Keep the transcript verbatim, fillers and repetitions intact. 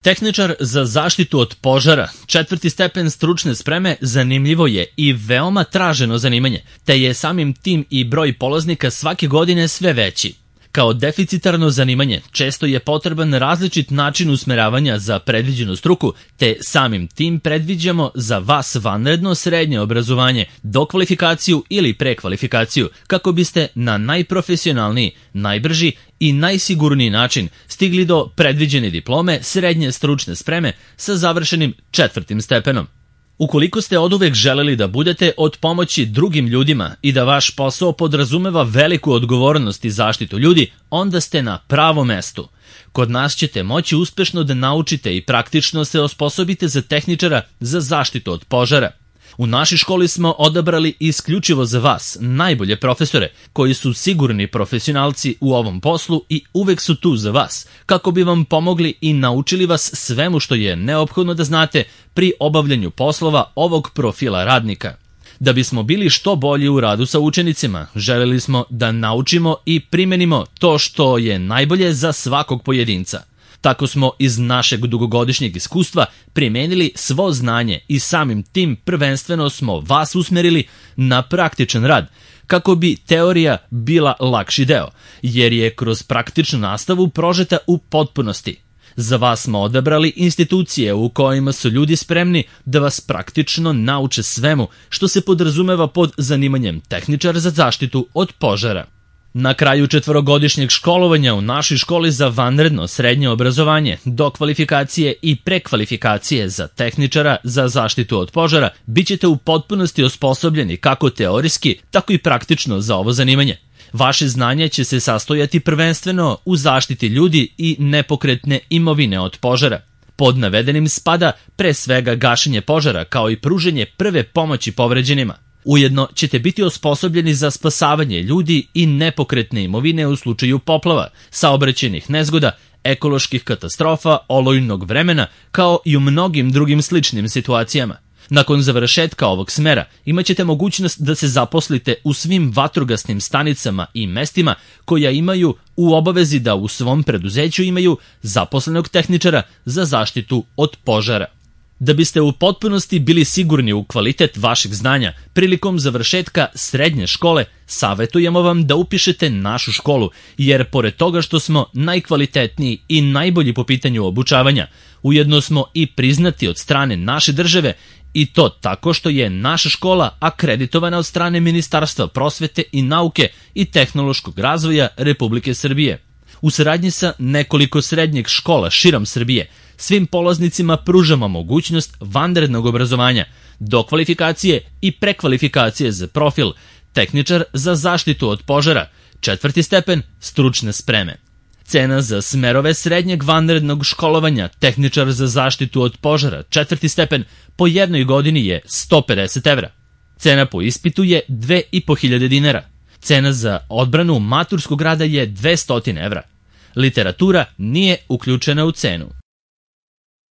Tehničar za zaštitu od požara, četvrti stepen stručne spreme, zanimljivo je i veoma traženo zanimanje, te je samim tim i broj polaznika svake godine sve veći. Kao deficitarno zanimanje često je potreban različit način usmeravanja za predviđenu struku, te samim tim predviđamo za vas vanredno srednje obrazovanje, dokvalifikaciju ili prekvalifikaciju, kako biste na najprofesionalniji, najbrži i najsigurniji način stigli do predviđene diplome srednje stručne spreme sa završenim četvrtim stepenom. Ukoliko ste oduvek želeli da budete od pomoći drugim ljudima i da vaš posao podrazumeva veliku odgovornost i zaštitu ljudi, onda ste na pravom mestu. Kod nas ćete moći uspešno da naučite i praktično se osposobite za tehničara za zaštitu od požara. U našoj školi smo odabrali isključivo za vas najbolje profesore, koji su sigurni profesionalci u ovom poslu i uvek su tu za vas, kako bi vam pomogli i naučili vas svemu što je neophodno da znate pri obavljanju poslova ovog profila radnika. Da bismo bili što bolji u radu sa učenicima, želeli smo da naučimo i primenimo to što je najbolje za svakog pojedinca. Tako smo iz našeg dugogodišnjeg iskustva primenili svo znanje i samim tim prvenstveno smo vas usmerili na praktičan rad, kako bi teorija bila lakši deo, jer je kroz praktičnu nastavu prožeta u potpunosti. Za vas smo odabrali institucije u kojima su ljudi spremni da vas praktično nauče svemu što se podrazumeva pod zanimanjem tehničar za zaštitu od požara. Na kraju četvorogodišnjeg školovanja u našoj školi za vanredno srednje obrazovanje, dokvalifikacije i prekvalifikacije za tehničara za zaštitu od požara, bit ćete u potpunosti osposobljeni kako teorijski, tako i praktično za ovo zanimanje. Vaše znanje će se sastojati prvenstveno u zaštiti ljudi i nepokretne imovine od požara. Pod navedenim spada pre svega gašenje požara kao i pruženje prve pomoći povređenima. Ujedno ćete biti osposobljeni za spasavanje ljudi i nepokretne imovine u slučaju poplava, saobraćajnih nezgoda, ekoloških katastrofa, olujnog vremena, kao i u mnogim drugim sličnim situacijama. Nakon završetka ovog smera imaćete mogućnost da se zaposlite u svim vatrogasnim stanicama i mestima koja imaju u obavezi da u svom preduzeću imaju zaposlenog tehničara za zaštitu od požara. Da biste u potpunosti bili sigurni u kvalitet vašeg znanja, prilikom završetka srednje škole savetujemo vam da upišete našu školu, jer pored toga što smo najkvalitetniji i najbolji po pitanju obučavanja, ujedno smo i priznati od strane naše države, i to tako što je naša škola akreditovana od strane Ministarstva prosvete i nauke i tehnološkog razvoja Republike Srbije. U saradnji sa nekoliko srednjih škola širom Srbije, svim polaznicima pružamo mogućnost vanrednog obrazovanja, dokvalifikacije i prekvalifikacije za profil tehničar za zaštitu od požara, četvrti stepen stručne spreme. Cena za smerove srednjeg vanrednog školovanja tehničar za zaštitu od požara, četvrti stepen, po jednoj godini je sto pedeset evra. Cena po ispitu je dve i po hiljade dinara. Cena za odbranu maturskog rada je dvesta evra. Literatura nije uključena u cenu.